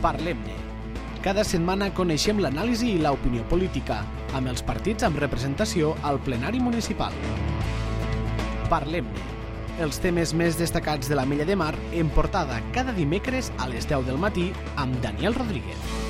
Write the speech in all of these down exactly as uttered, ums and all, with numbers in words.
Parlem-ne. Cada setmana coneixem l'anàlisi i l'opinió política, amb els partits amb representació al plenari municipal. Parlem-ne. Els temes més destacats de l'Ametlla de Mar en portada cada dimecres a les deu del matí amb Daniel Rodríguez.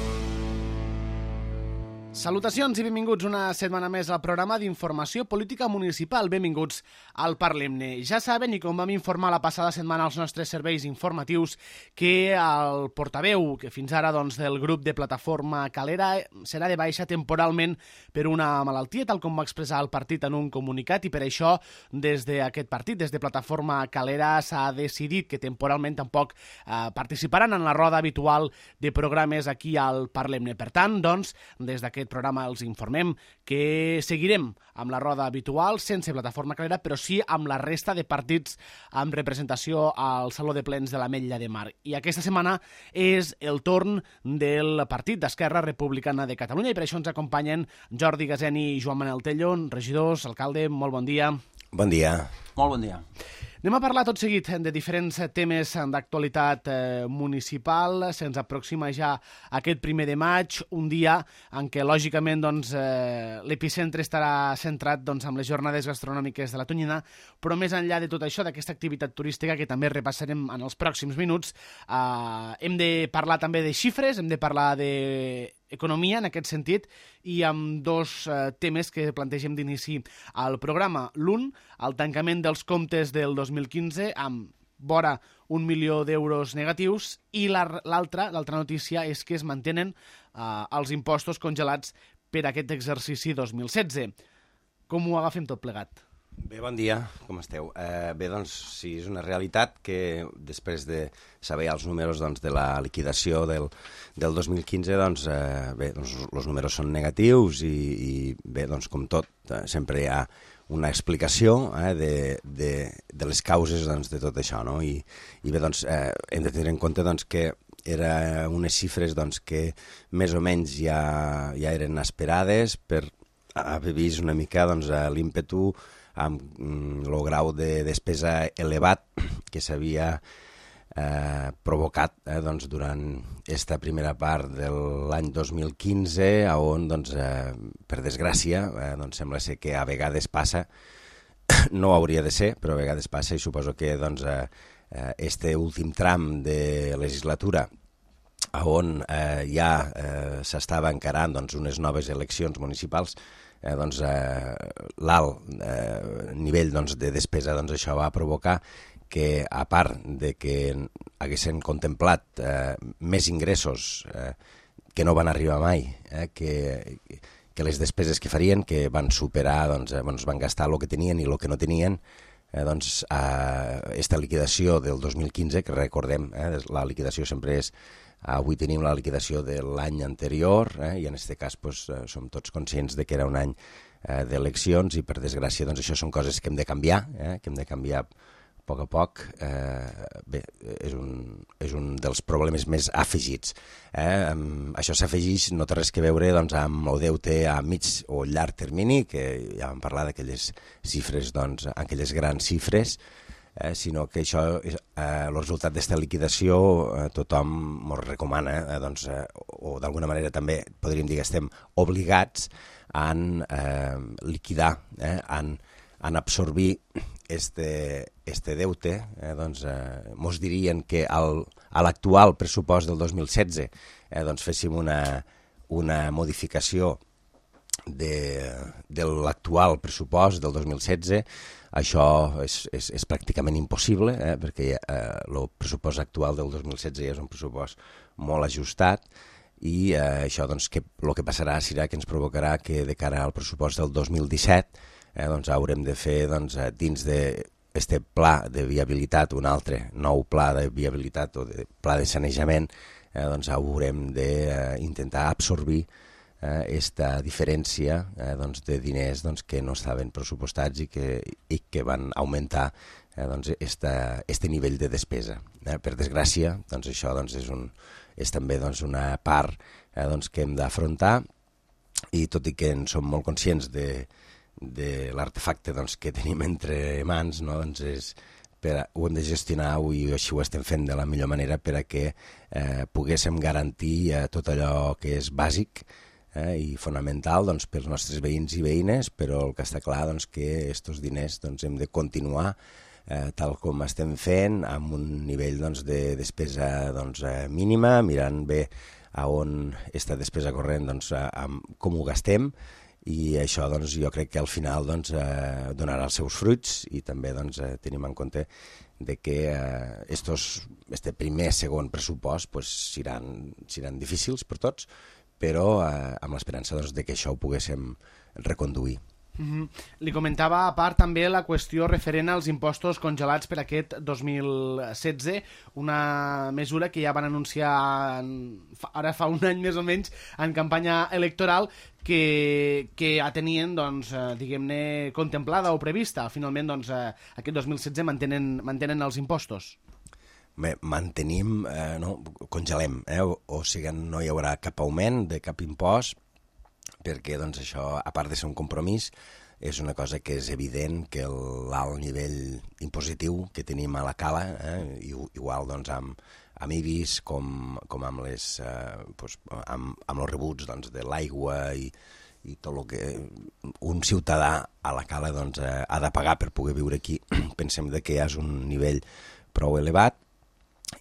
Salutacions i benvinguts una setmana més al programa d'informació política municipal. Benvinguts al Parlem-ne. Ja saben, i com vam informar la passada setmana als nostres serveis informatius, que el portaveu, que fins ara doncs, del grup de Plataforma Calera, serà de baixa temporalment per una malaltia, tal com va expressar el partit en un comunicat, i per això des d'aquest partit, des de Plataforma Calera, s'ha decidit que temporalment tampoc eh, participaran en la roda habitual de programes aquí al Parlem-ne. Per tant, doncs, des d'aquest programa els informem que seguirem amb la roda habitual sense Plataforma Calera, però sí amb la resta de partits amb representació al Saló de Plens de l'Ametlla de Mar. I aquesta setmana és el torn del partit d'Esquerra Republicana de Catalunya i per això ens acompanyen Jordi Gaseni i Joan Manel Tello, regidors, alcalde, molt bon dia. Bon dia. Molt bon dia. Anem a parlar tot seguit de diferents temes d'actualitat eh, municipal. Se'ns aproxima ja aquest primer de maig, un dia en què, lògicament, doncs, eh, l'epicentre estarà centrat doncs, amb les jornades gastronòmiques de la Tonyina, però més enllà de tot això, d'aquesta activitat turística que també repassarem en els pròxims minuts, eh, hem de parlar també de xifres, hem de parlar de economia en aquest sentit i amb dos eh, temes que plantegem d'inici al programa. L'un, el tancament dels comptes del dos mil quinze amb vora un milió d'euros negatius i l'altra, l'altra notícia és que es mantenen eh, els impostos congelats per aquest exercici dos mil setze. Com ho agafem tot plegat? Bé, bon dia, com esteu? Eh, bé, doncs, sí, és una realitat que després de saber els números doncs, de la liquidació del, del dos mil quinze, doncs, eh, bé, doncs, els números són negatius i, i bé, doncs, com tot, eh, sempre hi ha una explicació eh, de, de, de les causes doncs, de tot això, no? I, i bé, doncs, eh, hem de tenir en compte doncs, que eren unes xifres doncs, que més o menys ja, ja eren esperades per haver vist una mica doncs, l'ímpetu amb el grau de despesa elevat que s'havia eh, provocat eh, doncs, durant aquesta primera part de l'any dos mil quinze, on, doncs, eh, per desgràcia, eh, doncs, sembla ser que a vegades passa, no hauria de ser, però a vegades passa, i suposo que doncs, eh, este últim tram de legislatura on eh, ja eh, s'estava encarant doncs, unes noves eleccions municipals, Eh, doncs, eh, l'alt eh, nivell doncs, de despesa, doncs, això va provocar que, a part de que haguessin contemplat eh, més ingressos eh, que no van arribar mai, eh, que, que les despeses que farien, que van superar, doncs, eh, doncs, van gastar el que tenien i el que no tenien, eh, doncs, eh, esta liquidació del dos mil quinze, que recordem, eh, la liquidació sempre és avui tenim la liquidació de l'any anterior eh, i en aquest cas pues, eh, som tots conscients de que era un any eh, d'eleccions i per desgràcia doncs, això són coses que hem de canviar, eh, que hem de canviar a poc a poc. Eh, bé, és un, és un dels problemes més afegits. Eh. Això s'afegeix, no té res que veure doncs, amb el deute a mig o llarg termini, que ja vam parlar d'aquelles xifres, doncs, aquelles grans xifres, Eh, sinó que això, eh, el resultat d'aquesta liquidació eh, tothom ens recomana, eh, doncs, eh, o d'alguna manera també podríem dir que estem obligats a eh, liquidar, eh, a, a absorbir este, este deute. Eh, doncs, eh, mos dirien que al, a l'actual pressupost del dos mil setze eh, doncs féssim una, una modificació de, de l'actual pressupost del dos mil setze. Això és, és, és pràcticament impossible, eh, perquè eh, el pressupost actual del dos mil setze ja és un pressupost molt ajustat i eh, això doncs, que, el que passarà serà que ens provocarà que de cara al pressupost del dos mil disset eh, doncs, haurem de fer doncs, dins d'aquest pla de viabilitat un altre nou pla de viabilitat o de pla de sanejament, eh, doncs haurem d'intentar absorbir aquesta eh, diferència eh, doncs, de diners doncs, que no estaven pressupostats i que, i que van augmentar eh, doncs, esta, este nivell de despesa. Eh, per desgràcia, doncs, això doncs, és, un, és també doncs, una part eh, doncs, que hem d'afrontar i tot i que en som molt conscients de, de l'artefacte doncs, que tenim entre mans, no? Doncs és per a, ho hem de gestionar i així ho estem fent de la millor manera per a que eh, poguéssim garantir eh, tot allò que és bàsic eh, i fonamental doncs, pels nostres veïns i veïnes, però el que està clar doncs, que aquests diners doncs, hem de continuar eh, tal com estem fent, amb un nivell doncs, de despesa doncs, eh, mínima, mirant bé a on aquesta despesa corrent, doncs, a, a, com ho gastem, i això doncs, jo crec que al final doncs, eh, donarà els seus fruits i també doncs, eh, tenim en compte de que eh, estos, este primer, segon pressupost pues, seran, seran difícils per tots, però eh, amb l'esperança doncs, de que això ho poguéssim reconduir. Mm-hmm. Li comentava a part també la qüestió referent als impostos congelats per aquest dos mil setze, una mesura que ja van anunciar ara fa un any més o menys en campanya electoral que, que ja tenien doncs, eh, diguem-ne contemplada o prevista. Finalment doncs, eh, aquest dos mil setze mantenen, mantenen els impostos. Bé, mantenim, eh, no, congelem, eh, o, o sigui, no hi haurà cap augment de cap impost, perquè doncs, això, a part de ser un compromís, és una cosa que és evident que l'alt nivell impositiu que tenim a la cala, eh, igual doncs, amb, amb I B I S com, com amb, les, eh, doncs, amb, amb els rebuts doncs, de l'aigua i, i tot el que un ciutadà a la cala doncs, eh, ha de pagar per poder viure aquí, pensem de que és un nivell prou elevat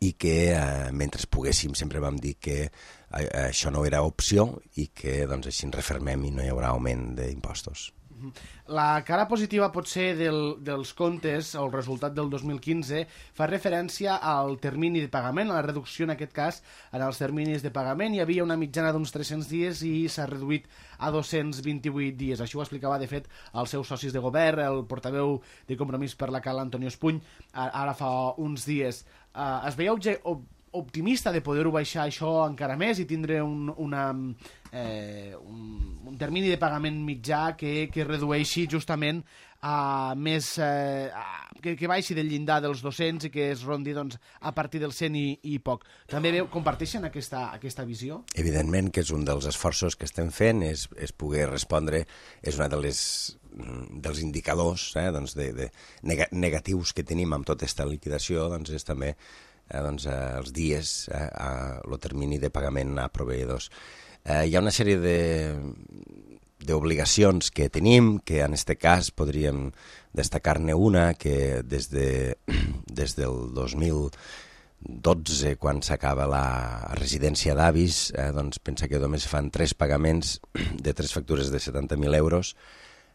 i que eh, mentre poguéssim sempre vam dir que eh, això no era opció i que doncs, així ens refermem i no hi haurà augment d'impostos. La cara positiva potser del, dels comptes, o el resultat del dos mil quinze, fa referència al termini de pagament, a la reducció en aquest cas en els terminis de pagament. Hi havia una mitjana d'uns tres-cents dies i s'ha reduït a dos-cents vint-i-vuit dies. Això ho explicava, de fet, als seus socis de govern, el portaveu de Compromís per la Cala, Antonio Espuny, ara fa uns dies. Uh, es veia optimista de poder-ho baixar això encara més i tindre un, una, eh, un, un termini de pagament mitjà que, que redueixi justament a més, eh, a, que, que baixi del llindar dels dos-cents i que es rondi doncs, a partir del cent i, i poc. També veu, comparteixen aquesta, aquesta visió? Evidentment que és un dels esforços que estem fent, és, és poder respondre, és una de les dels indicadors eh, doncs de, de negatius que tenim amb tota aquesta liquidació, doncs és també eh, doncs, eh, els dies, eh, el termini de pagament a proveïdors. Eh, hi ha una sèrie de d'obligacions que tenim, que en aquest cas podríem destacar-ne una, que des, de, des del dos mil dotze, quan s'acaba la residència d'avis, eh, doncs pensa que només fan tres pagaments de tres factures de setanta mil euros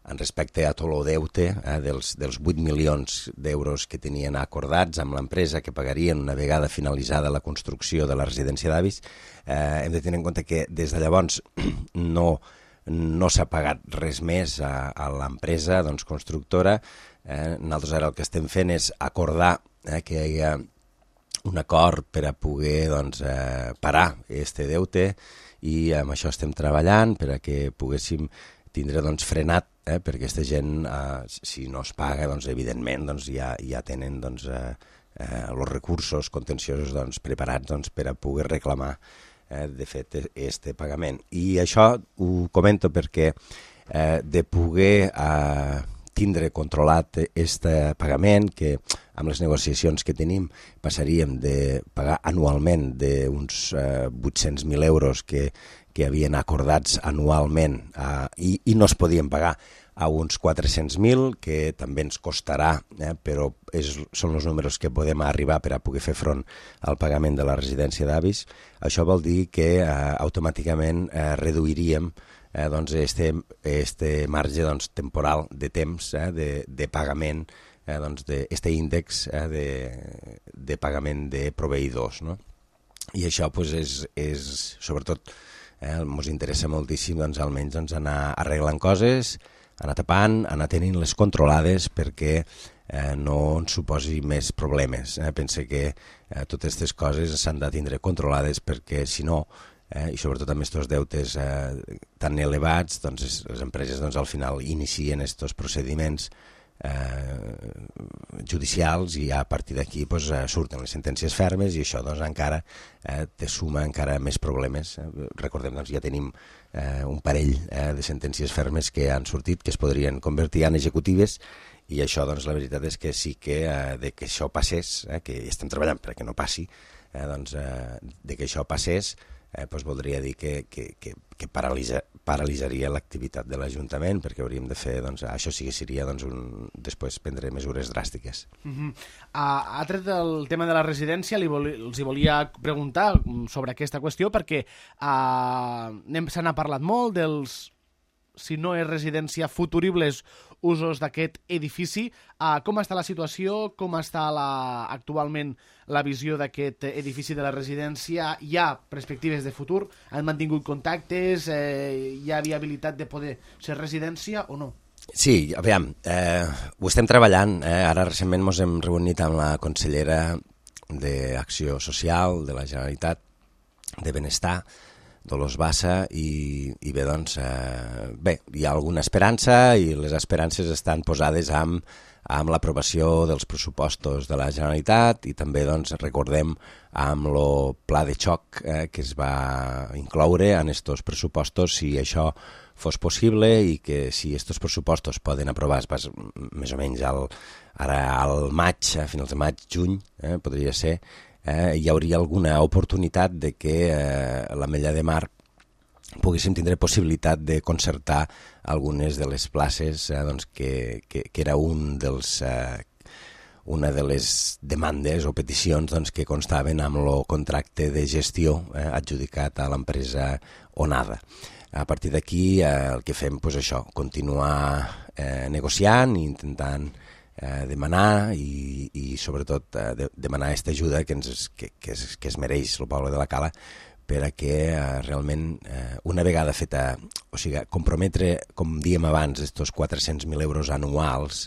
en respecte a tot el deute eh, dels, dels vuit milions d'euros que tenien acordats amb l'empresa que pagarien una vegada finalitzada la construcció de la residència d'avis. Eh, hem de tenir en compte que des de llavors no, no s'ha pagat res més a, a l'empresa doncs, constructora. Eh, nosaltres ara el que estem fent és acordar eh, que hi ha un acord per a poder doncs, eh, parar este deute i amb això estem treballant per a que poguéssim tindre doncs, frenat, eh, perquè aquesta gent, eh, si no es paga, doncs, evidentment doncs, ja, ja tenen doncs, eh, eh, els recursos contenciosos doncs, preparats doncs, per a poder reclamar eh, de fet este pagament. I això ho comento perquè eh, de poder eh, tindre controlat este pagament, que amb les negociacions que tenim passaríem de pagar anualment d'uns eh, vuit-cents mil euros que que havien acordats anualment eh, i, i no es podien pagar a uns quatre-cents mil, que també ens costarà, eh, però és, són els números que podem arribar per a poder fer front al pagament de la residència d'avis. Això vol dir que eh, automàticament eh, reduiríem eh, doncs este, este marge doncs, temporal de temps eh, de, de pagament, eh, doncs, d'este índex eh, de, de pagament de proveïdors. No? I això pues, és, és sobretot ens eh, interessa moltíssim doncs, almenys doncs, anar arreglant coses, anar tapant, anar tenint les controlades perquè eh, no ens suposi més problemes. Eh? Pense que eh, totes aquestes coses s'han de tindre controlades perquè si no, eh, i sobretot amb aquests deutes eh, tan elevats, doncs, les empreses doncs, al final inicien aquests procediments eh, judicials, i a partir d'aquí pues, eh, surten les sentències fermes, i això doncs, encara eh, te suma encara més problemes. Eh, recordem, doncs, ja tenim eh, un parell eh, de sentències fermes que han sortit, que es podrien convertir en executives, i això, doncs, la veritat és que sí que eh, de que això passés, eh, que estem treballant perquè no passi, eh, doncs, eh, de que això passés, eh, doncs voldria dir que, que, que, que paralitza, paralitzaria l'activitat de l'Ajuntament, perquè hauríem de fer, doncs, això sí que seria, doncs, un, després prendre mesures dràstiques. Uh-huh. uh, ha tret el tema de la residència, li vol, els hi volia preguntar sobre aquesta qüestió, perquè uh, se n'ha parlat molt dels, si no és residència, futuribles usos d'aquest edifici. Uh, com està la situació? Com està la, actualment la visió d'aquest edifici de la residència? Hi ha perspectives de futur? Han mantingut contactes? Eh, hi ha viabilitat de poder ser residència o no? Sí, aviam, eh, ho estem treballant. Eh? Ara recentment ens hem reunit amb la consellera d'Acció Social de la Generalitat de Benestar, Dolors Bassa, i, i bé, doncs, eh, bé, hi ha alguna esperança, i les esperances estan posades amb, amb l'aprovació dels pressupostos de la Generalitat, i també, doncs, recordem amb el pla de xoc eh, que es va incloure en estos pressupostos, si això fos possible, i que si estos pressupostos poden aprovar pas, més o menys al, ara al maig, a finals de maig, juny, eh, podria ser, Eh, hi hauria alguna oportunitat de que eh, l'Ametlla de Mar poguéssim tindre possibilitat de concertar algunes de les places eh, doncs que, que, que era un dels, eh, una de les demandes o peticions doncs, que constaven amb el contracte de gestió eh, adjudicat a l'empresa Onada. A partir d'aquí eh, el que fem, pues, això, continuar eh, negociant i intentant Eh, demanar i, i sobretot eh, de, demanar aquesta ajuda que, ens, que, que, es, que es mereix el poble de la Cala, per a que eh, realment eh, una vegada feta, o sigui, comprometre, com dèiem abans, estos quatre-cents mil euros anuals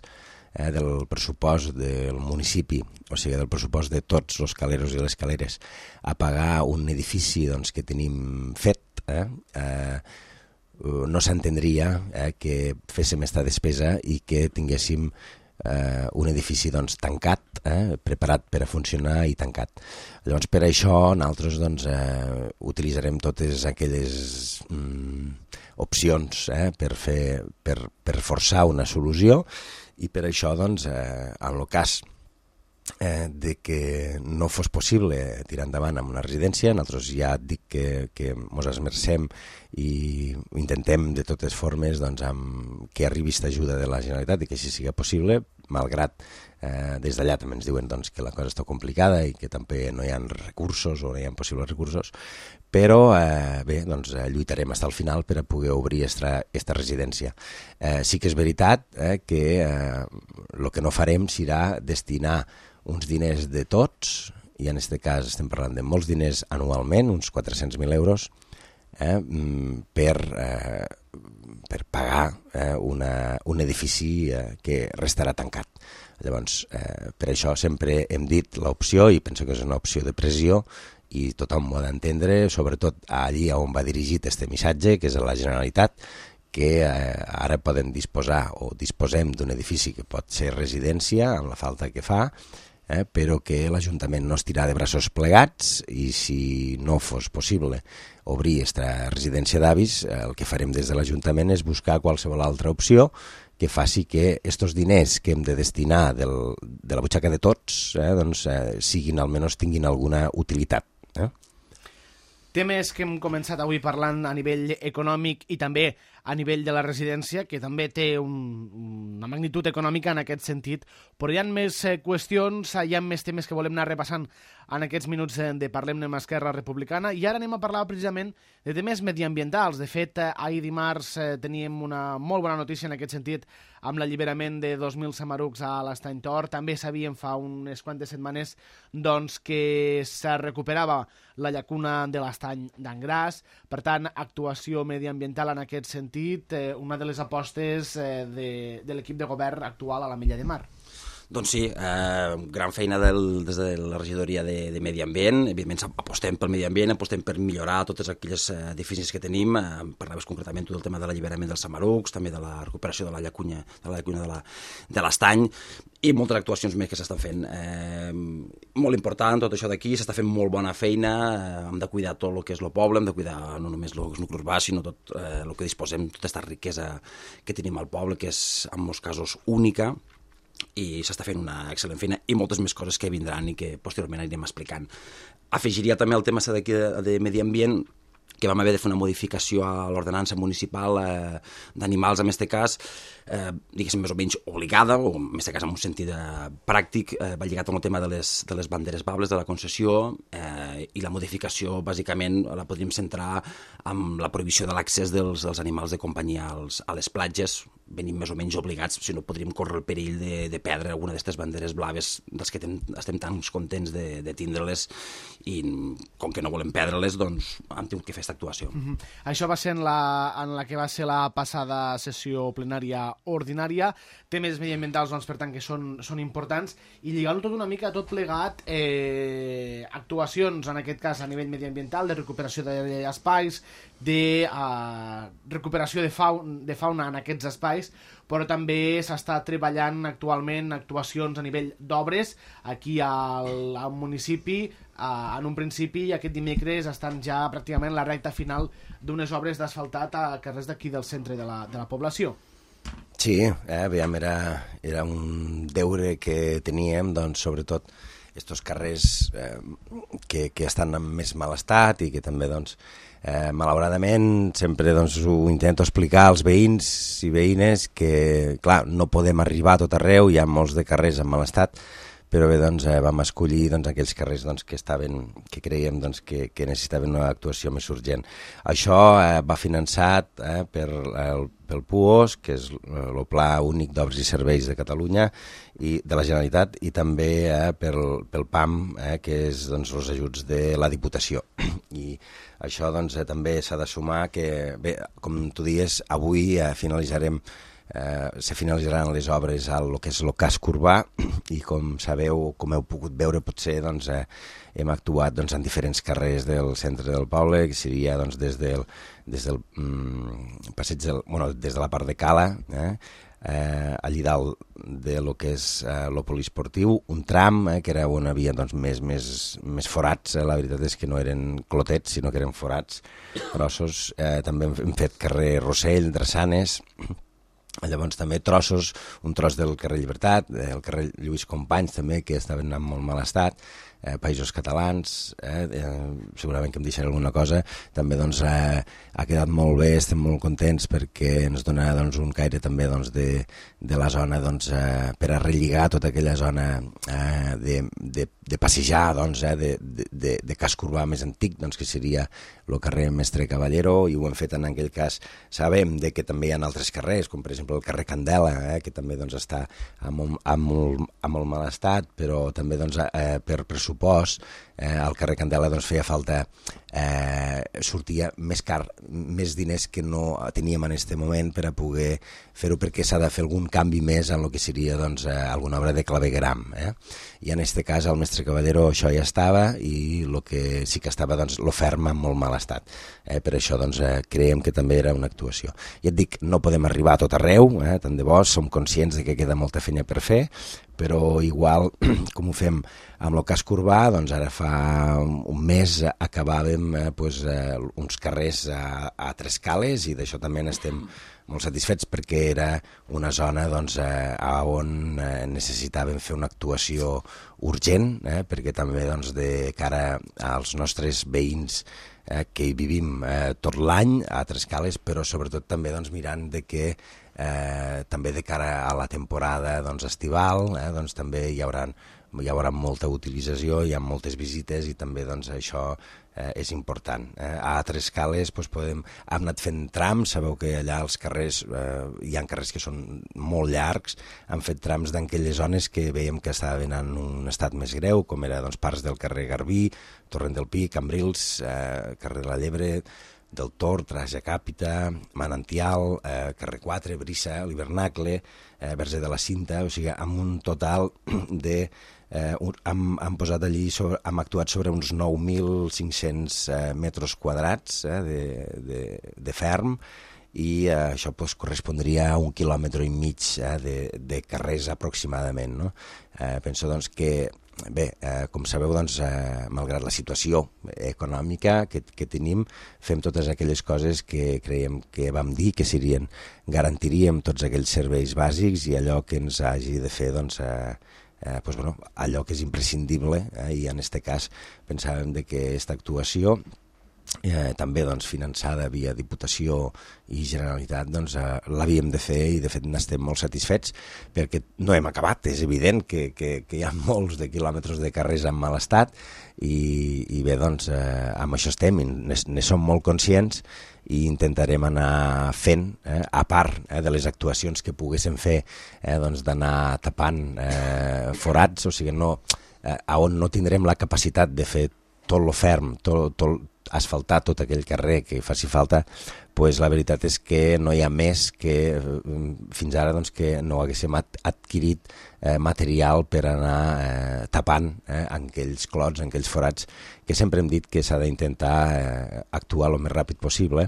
eh, del pressupost del municipi, o sigui, del pressupost de tots els caleros i les caleres, a pagar un edifici doncs, que tenim fet, eh, eh, no s'entendria eh, que féssim esta despesa i que tinguéssim Uh, un edifici doncs, tancat, eh, preparat per a funcionar i tancat. Llavors, per això, nosaltres doncs, eh, utilitzarem totes aquelles mm, opcions eh, per, fer, per, per forçar una solució, i per això, doncs, eh, en el cas eh, de que no fos possible tirar endavant amb una residència, nosaltres ja dic que, que ens esmercem i intentem de totes formes doncs, amb que arribi aquesta ajuda de la Generalitat i que així sigui possible, malgrat eh, des d'allà també ens diuen doncs, que la cosa està complicada i que també no hi ha recursos o no hi ha possibles recursos, però eh, bé, doncs, lluitarem fins al final per a poder obrir aquesta residència. Eh, sí que és veritat eh, que el eh, que no farem serà destinar uns diners de tots, i en aquest cas estem parlant de molts diners anualment, uns quatre-cents mil euros, eh, per, eh, per pagar eh, una, un edifici eh, que restarà tancat. Llavors, eh, per això sempre hem dit l'opció, i penso que és una opció de pressió, i tothom ho ha d'entendre, sobretot allí on va dirigit este missatge, que és a la Generalitat, que eh, ara poden disposar o disposem d'un edifici que pot ser residència, amb la falta que fa, eh, però que l'Ajuntament no estirà de braços plegats, i si no fos possible obrir aquesta residència d'avis, eh, el que farem des de l'Ajuntament és buscar qualsevol altra opció que faci que aquests diners que hem de destinar del, de la butxaca de tots eh, doncs, eh, siguin, almenys tinguin alguna utilitat. Eh? Temes que hem començat avui parlant a nivell econòmic i també a nivell de la residència, que també té un, una magnitud econòmica en aquest sentit, però hi ha més eh, qüestions, hi ha més temes que volem anar repassant en aquests minuts de Parlem-ne amb Esquerra Republicana, i ara anem a parlar precisament de temes mediambientals. De fet, eh, ahir dimarts eh, teníem una molt bona notícia en aquest sentit amb l'alliberament de dos mil samarucs a l'Estany Tor. També sabíem fa unes quantes setmanes doncs, que se recuperava la llacuna de l'Estany d'Angràs. Per tant, actuació mediambiental en aquest sentit, eh, una de les apostes eh, de, de l'equip de govern actual a l'Ametlla de Mar. Doncs sí, eh, gran feina del, des de la regidoria de, de Medi Ambient. Evidentment apostem pel medi ambient, apostem per millorar totes aquelles eh, deficiències que tenim. Eh, parlaves concretament del tema de l'alliberament dels samarucs, també de la recuperació de la llacunya de la llacunya de la, de l'estany, i moltes actuacions més que s'estan fent. Eh, molt important tot això d'aquí, s'està fent molt bona feina, eh, hem de cuidar tot el que és el poble, hem de cuidar no només el nucli urbà, sinó tot eh, el que disposem, tota aquesta riquesa que tenim al poble, que és en molts casos única, i s'està fent una excel·lent feina i moltes més coses que vindran i que posteriorment anirem explicant. Afegiria també el tema d'aquí de, de medi ambient, que vam haver de fer una modificació a l'ordenança municipal eh, d'animals, en aquest cas, eh, diguéssim, més o menys obligada, o en aquest cas en un sentit eh, pràctic, eh, va lligat amb el tema de les, de les banderes bables de la concessió, eh, i la modificació, bàsicament, la podríem centrar amb la prohibició de l'accés dels, dels animals de companyia als, a les platges. Venim més o menys obligats, si no podríem córrer el perill de, de perdre alguna d'aquestes banderes blaves dels que ten, estem tan contents de, de tindre-les, i com que no volem perdre-les, doncs hem tingut que fer aquesta actuació. Mm-hmm. Això va ser en la, en la que va ser la passada sessió plenària ordinària. Temes mediambientals, doncs, per tant, que són, són importants, i lligant-ho tot una mica, tot plegat, eh, actuacions, en aquest cas, a nivell mediambiental, de recuperació d'espais, de uh, recuperació de, faun de fauna en aquests espais, però també s'està treballant actualment actuacions a nivell d'obres aquí al, al municipi. Uh, en un principi, aquest dimecres, estan ja pràcticament la recta final d'unes obres d'asfaltat a carrers d'aquí del centre de la, de la població. Sí, eh, aviam, era, era un deure que teníem, doncs, sobretot estos carrers eh, que, que estan en més mal estat i que també, doncs, Eh, malauradament, sempre doncs, ho intento explicar als veïns i veïnes que, clar, no podem arribar a tot arreu, hi ha molts de carrers en mal estat, però bé, doncs, eh, vam escollir doncs, aquells carrers doncs, que, estaven, que creiem doncs, que, que necessitaven una actuació més urgent. Això eh, va finançat eh, per, el, pel P U O S, que és el Pla Únic d'Obres i Serveis de Catalunya, i de la Generalitat, i també eh, pel, pel P A M, eh, que és doncs, els ajuts de la Diputació. I això doncs, eh, també s'ha de sumar que, bé, com tu dies, avui eh, finalitzarem Eh, se finalitzaran les obres al que és el casc urbà, i com sabeu, com heu pogut veure potser, doncs, eh, hem actuat doncs, en diferents carrers del centre del poble, que seria doncs, des del, des del mm, passeig del, bueno, des de la part de Cala, eh, eh, allí dalt de lo que és eh, el poliesportiu, un tram eh, que era on hi havia doncs, més, més, més forats, eh, la veritat és que no eren clotets, sinó que eren forats grossos. Eh, també hem fet carrer Rossell, Drassanes. Llavors també trossos, un tros del carrer Llibertat, el carrer Lluís Companys també, que estaven en molt mal estat, eh, Països Catalans, eh, eh, segurament que em deixaré alguna cosa. També doncs, eh, ha quedat molt bé, estem molt contents perquè ens dona doncs, un caire també doncs, de, de la zona doncs, eh, per a relligar tota aquella zona eh, de, de, de passejar, doncs, eh, de, de, de, de casc urbà més antic, doncs, que seria el carrer Mestre Caballero, i ho hem fet en aquell cas. Sabem de que també hi ha altres carrers, com per exemple el carrer Candela, eh, que també doncs, està en molt, en, molt, en molt mal estat, però també doncs, eh, per pressupost eh, al carrer Candela doncs, feia falta, eh, sortia més car, més diners que no teníem en aquest moment per a poder fer-ho, perquè s'ha de fer algun canvi més en el que seria doncs, eh, alguna obra de clavegueram. Eh? I en aquest cas al Mestre Caballero això ja estava, i el que sí que estava doncs, lo ferm en molt mal estat. Eh? Per això doncs, eh, creiem que també era una actuació. I et dic, no podem arribar a tot arreu, eh? tant de bo, som conscients de que queda molta feina per fer, però igual com ho fem amb el casc urbà, doncs ara fa un mes acabàvem eh, pues, eh, uns carrers a, a Tres Cales, i d'això també n'estem molt satisfets, perquè era una zona doncs, eh, on eh, necessitàvem fer una actuació urgent, eh, perquè també doncs, de cara als nostres veïns eh, que hi vivim eh, tot l'any a Tres Cales, però sobretot també doncs, mirant de que eh, també de cara a la temporada doncs, estival, eh, doncs, també hi haurà, hi haurà molta utilització, hi ha moltes visites, i també doncs, això eh, és important. Eh, a Tres Cales doncs, podem, hem anat fent trams, sabeu que allà als carrers eh, hi ha carrers que són molt llargs, hem fet trams d'aquelles zones que veiem que estaven en un estat més greu, com era doncs, parts del carrer Garbí, Torrent del Pi, Cambrils, eh, carrer de la Llebre, del Tor, Traja Càpita, Manantial, eh, Carrer quatre, Brissa, l'Hivernacle, eh, Verge de la Cinta, o sigui, amb un total de... Eh, hem, hem posat allí, sobre, hem actuat sobre uns nou mil cinc-cents eh, metres quadrats eh, de, de, de ferm, i eh, això pues, correspondria a un quilòmetre i mig eh, de, de carrers aproximadament. No? Eh, penso doncs, que, bé, eh, com sabeu, doncs, eh, malgrat la situació econòmica que, que tenim, fem totes aquelles coses que creiem que vam dir que serien, garantiríem tots aquells serveis bàsics i allò que ens hagi de fer, doncs, eh, Eh, pues, bueno, allò que és imprescindible, eh, i en aquest cas pensàvem de que aquesta actuació, eh, també doncs, finançada via Diputació i Generalitat, doncs, eh, l'havíem de fer, i de fet n'estem molt satisfets, perquè no hem acabat. És evident que, que, que hi ha molts de quilòmetres de carrers en mal estat, i, i bé, doncs, eh, amb això estem, ne, ne som molt conscients, i intentarem anar fent, eh, a part eh, de les actuacions que poguéssim fer, eh, doncs d'anar tapant eh, forats, o sigui, no, eh, on no tindrem la capacitat de fer tot lo ferm, tot, tot, asfaltar tot aquell carrer que faci falta, pues la veritat és que no hi ha més que fins ara doncs, que no haguéssim adquirit eh, material per anar eh, tapant eh, aquells clots, aquells forats, que sempre hem dit que s'ha d'intentar eh, actuar el més ràpid possible,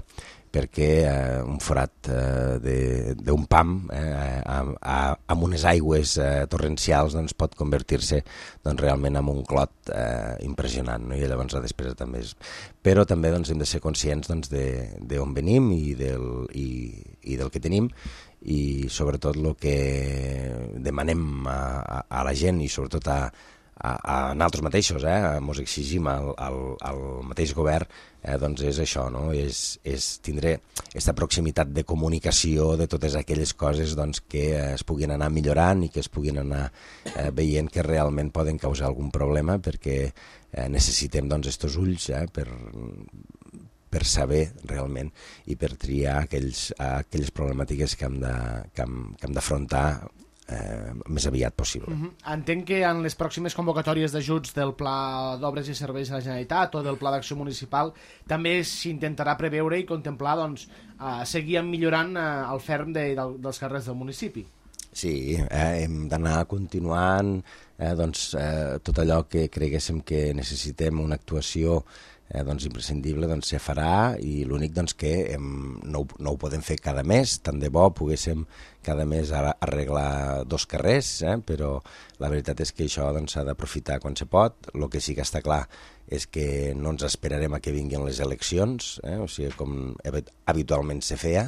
perquè eh, un forat eh, d'un pam eh, amb, amb unes aigües eh, torrencials doncs, pot convertir-se doncs, realment en un clot eh, impressionant, no? I llavors la despesa també és... Però també doncs, hem de ser conscients doncs, d'on venim i del, i, i del que tenim, i sobretot el que demanem a, a, a la gent i sobretot a, a, a nosaltres mateixos, eh? Ens exigim al, al, al mateix govern, eh? Doncs és això, no? És, és tindre aquesta proximitat de comunicació de totes aquelles coses doncs, que es puguin anar millorant i que es puguin anar eh, veient que realment poden causar algun problema, perquè eh, necessitem doncs, estos ulls eh, per, per saber realment i per triar aquells, aquelles problemàtiques que hem de, que hem, que hem d'afrontar Eh, més aviat possible. Uh-huh. Entenc que en les pròximes convocatòries d'ajuts del Pla d'Obres i Serveis de la Generalitat o del Pla d'Acció Municipal també s'intentarà preveure i contemplar doncs, eh, seguir millorant eh, el ferm de, de, dels carrers del municipi. Sí, eh, hem d'anar continuant eh, doncs, eh, tot allò que creguéssim que necessitem una actuació Eh, doncs imprescindible doncs, se farà, i l'únic doncs, que hem, no, ho, no ho podem fer cada mes, tant de bo poguéssim cada mes arreglar dos carrers, eh, però la veritat és que això s'ha doncs, d'aprofitar quan se pot. El que sí que està clar és que no ens esperarem a que vinguin les eleccions, eh, o sigui, com habitualment se feia,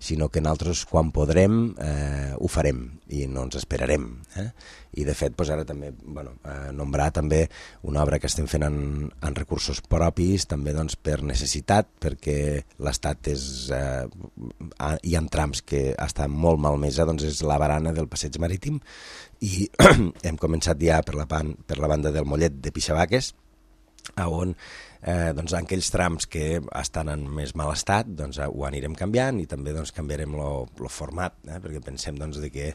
sinó que nosaltres quan podrem eh, ho farem i no ens esperarem. Eh? I de fet doncs, ara també bueno, eh, nombrar també una obra que estem fent en, en recursos propis, també doncs, per necessitat, perquè l'Estat és eh, hi ha trams que estan molt malmesa, doncs és la barana del passeig marítim, i hem començat ja per la, pan, per la banda del Mollet de Pixabaques, on eh, doncs, en aquells trams que estan en més mal estat doncs, ho anirem canviant, i també doncs, canviarem el format, eh, perquè pensem doncs, de que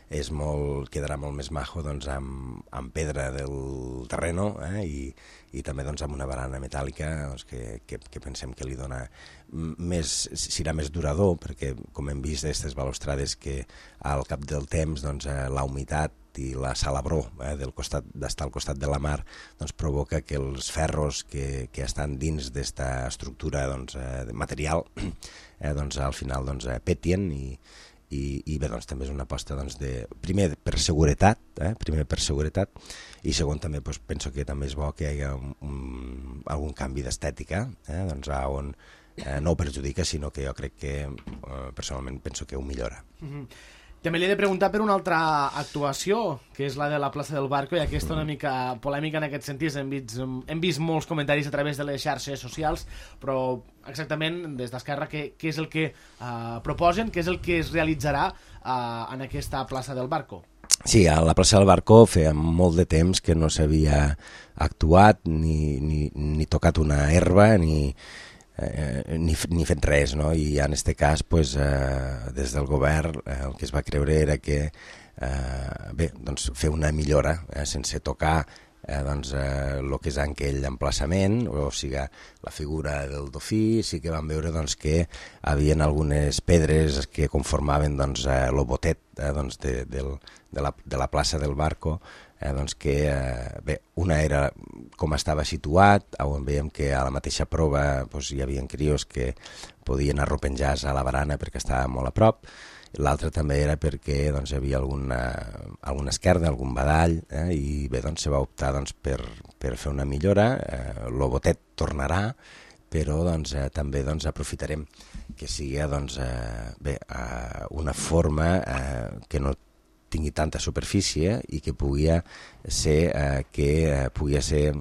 és molt, quedarà molt més majo doncs, amb, amb pedra del terreno eh, i, i també doncs, amb una barana metàl·lica doncs, que, que, que pensem que li dona més, serà més durador, perquè com hem vist d'aquestes balustrades que al cap del temps doncs, la humitat i la salabror eh, del costat d'estar al costat de la mar doncs, provoca que els ferros que, que estan dins d'esta estructura doncs, eh, de material eh, doncs, al final doncs, eh, petien, i, i, i bé, doncs, també és una aposta doncs, de, primer per seguretat, eh, primer per seguretat, i segon també doncs, penso que també és bo que hi hagi un, un, algun canvi d'estètica, eh, doncs, on eh, no ho perjudica, sinó que jo crec que eh, personalment penso que ho millora. Mm-hmm. També li he de preguntar per una altra actuació, que és la de la plaça del Barco, i aquesta una mica polèmica en aquest sentit. Hem vist, hem vist molts comentaris a través de les xarxes socials, però exactament des d'Esquerra què, què és el que uh, proposen, què és el que es realitzarà uh, en aquesta plaça del Barco? Sí, a la plaça del Barco feia molt de temps que no s'havia actuat ni, ni, ni tocat una herba ni... Eh, ni, ni fet res, no? I en aquest cas pues, eh, des del govern eh, el que es va creure era que eh, bé, doncs fer una millora eh, sense tocar eh, doncs, eh, lo que és aquell emplaçament, o sigui, la figura del dofí. Sí que vam veure doncs, que havien algunes pedres que conformaven doncs, eh, lo botet eh, doncs, de, del, de, la, de la plaça del Barco, eh, doncs que, eh, bé, una era com estava situat, on veiem que a la mateixa prova doncs, hi havia crios que podien arropenjar-se a la barana perquè estava molt a prop. L'altre també era perquè doncs, hi havia alguna, alguna esquerda, algun badall, eh, i bé, doncs, se va optar doncs, per, per fer una millora. Eh, el botet tornarà, però doncs, eh, també doncs, aprofitarem que sigui doncs, eh, bé, eh, una forma eh, que no tingui tanta superfície i que pugui ser, eh, que, eh, pugui ser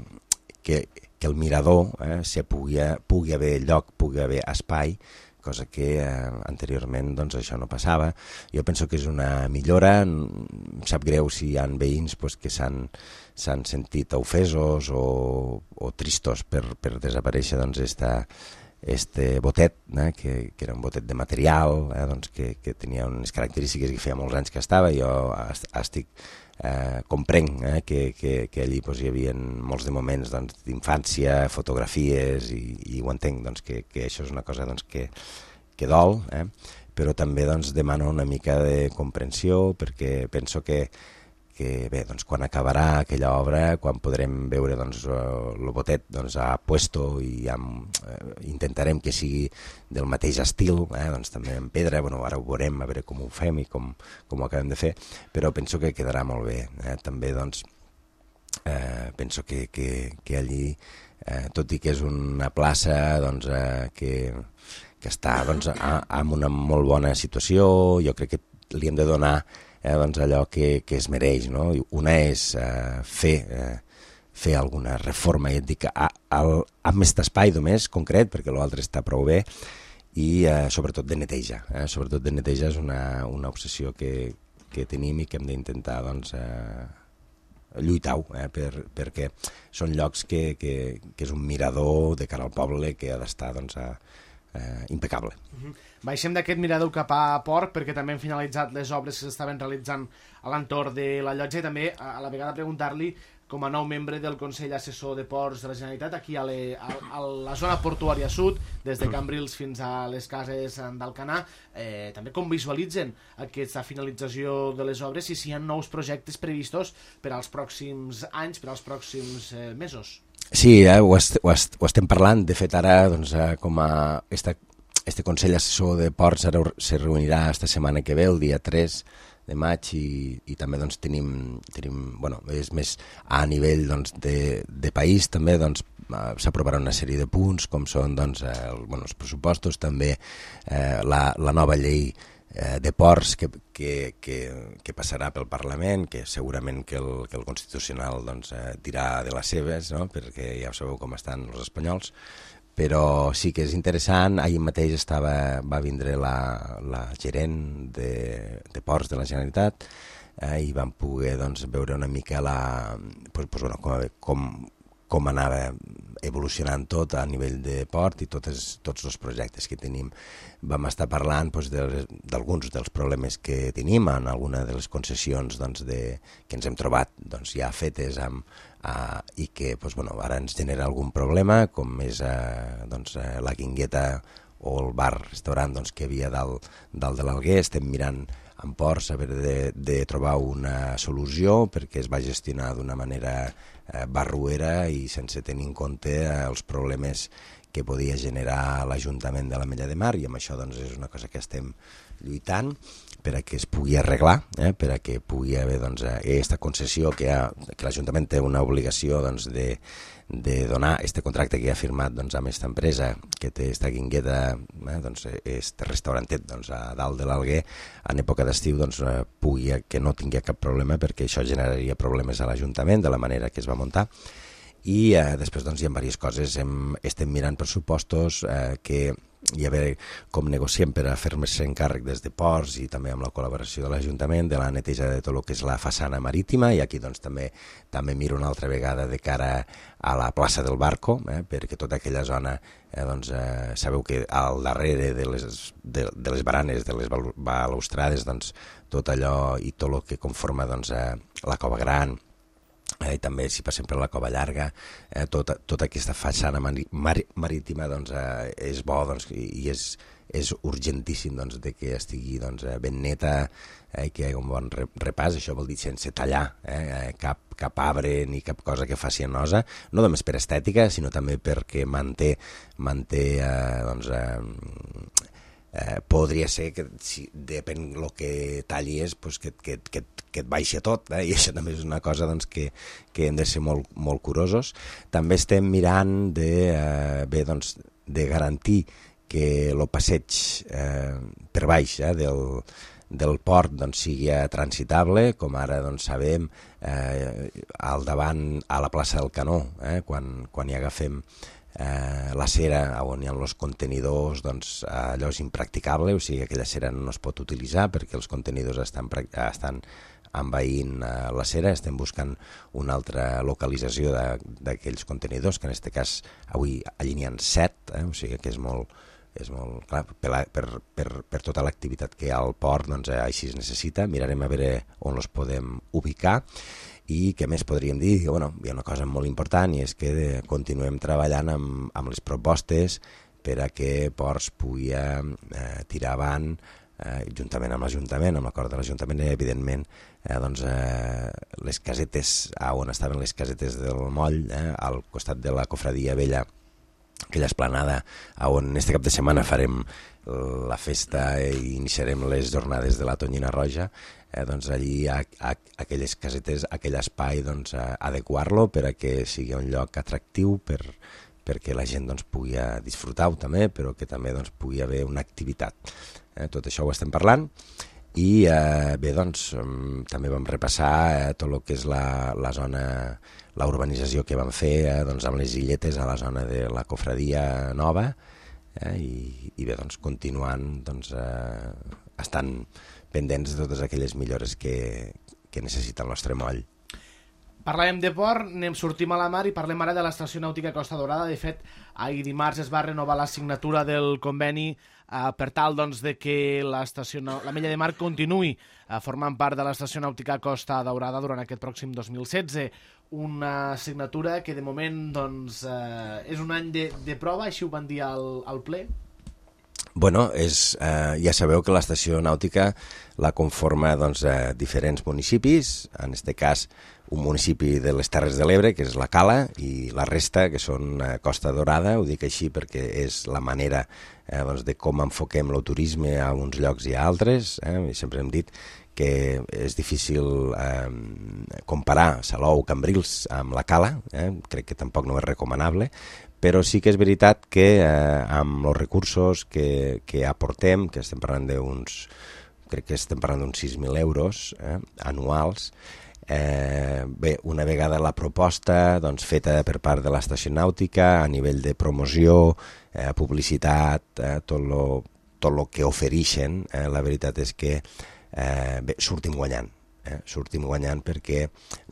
que, que el mirador eh, se pugui, pugui haver lloc, pugui haver espai, cosa que eh, anteriorment doncs, això no passava. Jo penso que és una millora. Em sap greu si hi ha veïns pues, que s'han sentit ofesos o, o tristos per, per desaparèixer doncs, esta, este botet, eh, que, que era un botet de material, eh, doncs, que, que tenia unes característiques que feia molts anys que estava. Jo estic eh, comprenc eh, que, que, que allí pues, hi havia molts de moments doncs, d'infància, fotografies, i, i ho entenc, doncs, que, que això és una cosa doncs, que, que dol, eh? Però també doncs, demano una mica de comprensió, perquè penso que que bé, doncs, quan acabarà aquella obra, quan podrem veure doncs, el botet doncs, a puesto i amb, eh, intentarem que sigui del mateix estil, eh, doncs, també en pedra, bueno, ara ho veurem, a veure com ho fem i com, com ho acabem de fer, però penso que quedarà molt bé. Eh? També doncs, eh, penso que, que, que allí, eh, tot i que és una plaça doncs, eh, que, que està doncs, a, en una molt bona situació, jo crec que li hem de donar Eh, doncs allò que, que es mereix, no? Una és eh, fer, eh, fer alguna reforma, i et dic, a, a, amb aquest espai només concret, perquè l'altre està prou bé, i eh, sobretot de neteja. Eh? Sobretot de neteja és una, una obsessió que, que tenim i que hem d'intentar doncs, eh, lluitar-ho, eh? per, perquè són llocs que, que, que és un mirador de cara al poble que ha d'estar doncs, a, eh, impecable. Uh-huh. Baixem d'aquest mirador cap a port, perquè també hem finalitzat les obres que s'estaven realitzant a l'entorn de la llotja, i també a la vegada preguntar-li, com a nou membre del Consell Assessor de Ports de la Generalitat, aquí a, le, a, a la zona portuària sud, des de Cambrils fins a les cases d'Alcanar, eh, també com visualitzen aquesta finalització de les obres i si hi ha nous projectes previstos per als pròxims anys, per als pròxims eh, mesos. Sí, eh, ho, est, ho, est, ho estem parlant. De fet, ara, doncs, eh, com a esta, este Consell Assessor de Ports ara se reunirà esta setmana que ve, el dia tres de maig, i, i també doncs, tenim, tenim, bueno, és més a nivell doncs, de, de país, també doncs, s'aprovarà una sèrie de punts, com són doncs, el, bueno, els pressupostos, també eh, la, la nova llei eh, de ports que, que, que, que passarà pel Parlament, que segurament que el, que el Constitucional doncs, eh, dirà de les seves, no? Perquè ja sabeu com estan els espanyols, però sí que és interessant. Ahir mateix estava, va vindre la, la gerent de, de Ports de la Generalitat eh, i vam poder doncs, veure una mica la, pues, pues, bueno, com, com, com anava evolucionant tot a nivell de port i totes, tots els projectes que tenim. Vam estar parlant doncs, d'alguns dels problemes que tenim en alguna de les concessions doncs, de, que ens hem trobat doncs, ja fetes amb Uh, i que doncs, bueno, ara ens genera algun problema, com és uh, doncs, uh, la Guingueta o el bar-restaurant doncs, que hi havia dalt, dalt de l'Alguer. Estem mirant en ports a veure de, de trobar una solució perquè es va gestionar d'una manera uh, barruera i sense tenir en compte uh, els problemes que podia generar l'Ajuntament de l'Ametlla de Mar, i amb això doncs, és una cosa que estem lluitant per a que es pugui arreglar, eh, per a que pugui haver doncs, aquesta concessió que, ha, que l'Ajuntament té una obligació doncs, de, de donar este contracte que ha firmat doncs, amb aquesta empresa que té esta Guingueta, eh, doncs, este restaurantet doncs, a dalt de l'Alguer, en època d'estiu doncs, pugui, que no tingui cap problema, perquè això generaria problemes a l'Ajuntament de la manera que es va muntar. I eh, després doncs, hi ha diverses coses. Hem, estem mirant pressupostos eh, que i a veure com negociem per a fer-se encàrrec des de ports i també amb la col·laboració de l'Ajuntament de la neteja de tot el que és la façana marítima, i aquí doncs, també també miro una altra vegada de cara a la plaça del Barco, eh, perquè tota aquella zona, eh, doncs, eh, sabeu que al darrere de les, de, de les baranes, de les balustrades, doncs, tot allò i tot el que conforma doncs, eh, la Cova Gran, eh, i també si passem per la Cova Llarga, eh, tota, tota aquesta façana mari, mar, marítima doncs, eh, és bo doncs, i, i és, és urgentíssim doncs, de que estigui doncs, ben neta, eh, que hi hagi un bon repàs, això vol dir sense tallar eh, cap, cap arbre ni cap cosa que faci nosa, no només per estètica, sinó també perquè manté, manté eh, doncs, eh, Eh, podria ser que, si depèn del que talli és, pues que, que, que, que et baixi tot, eh? I això també és una cosa doncs, que, que hem de ser molt, molt curosos. També estem mirant de, eh, bé, doncs, de garantir que el passeig eh, per baix eh, del, del port doncs, sigui transitable, com ara doncs, sabem eh, al davant a la plaça del Canó, eh, quan, quan hi agafem Eh, la cera on hi ha els contenidors, doncs allò és impracticable, o sigui, aquella cera no es pot utilitzar perquè els contenidors estan, estan envaint eh, la cera, estem buscant una altra localització d'aquells contenidors, que en aquest cas avui allí n'hi ha set, eh, o sigui que és molt, és molt clar, per, per, per, per tota l'activitat que hi ha al port, doncs eh, així es necessita, mirarem a veure on els podem ubicar. I què més podríem dir? Bueno, hi ha una cosa molt important i és que continuem treballant amb, amb les propostes per a que Ports pugui eh, tirar avant, eh, juntament amb l'Ajuntament, amb l'acord de l'Ajuntament, evidentment, eh, doncs, eh, les casetes, on estaven les casetes del moll, eh, al costat de la Cofradia Vella, aquella esplanada on este cap de setmana farem la festa i iniciarem les jornades de la Tonyina Roja, eh, doncs allí a, a, aquelles casetes, aquell espai, doncs, adequar-lo per a que sigui un lloc atractiu per, perquè la gent doncs, pugui disfrutar-ho també, però que també doncs, pugui haver una activitat. Eh, tot això ho estem parlant. I eh, bé, doncs, també vam repassar eh, tot el que és la, la zona, la urbanització que vam fer eh, doncs, amb les illetes a la zona de la Cofradia Nova, eh, i, i bé, doncs, continuant doncs, eh, estan pendents de totes aquelles millores que, que necessita el nostre moll. Parlàvem de port, anem, sortim a la mar i parlem ara de l'estació nàutica Costa Daurada. De fet, ahir dimarts es va renovar la signatura del conveni eh, per tal doncs, de que l'estació, la Mella de Mar continuï eh, formant part de l'estació nàutica Costa Daurada durant aquest pròxim dos mil setze. Una signatura que de moment doncs, eh, és un any de, de prova, així ho van dir al, al ple. Bueno, és, eh, ja sabeu que l'estació nàutica la conforma doncs, eh, diferents municipis, en aquest cas un municipi de les Terres de l'Ebre, que és la Cala, i la resta, que són eh, Costa Daurada. Ho dic així perquè és la manera eh, doncs, de com enfoquem el turisme a uns llocs i a altres. Eh? Sempre hem dit que és difícil eh, comparar Salou, Cambrils amb la Cala, eh? Crec que tampoc no és recomanable, però sí que és veritat que eh, amb els recursos que, que aportem, que estem parlant d'uns, crec que estem parlant d'uns sis mil euros eh, anuals, eh, bé, una vegada la proposta doncs, feta per part de l'estació nàutica a nivell de promoció, eh, publicitat, eh, tot lo, tot lo que ofereixen, eh, la veritat és que eh, bé, sortim guanyant. Eh, sortim guanyant perquè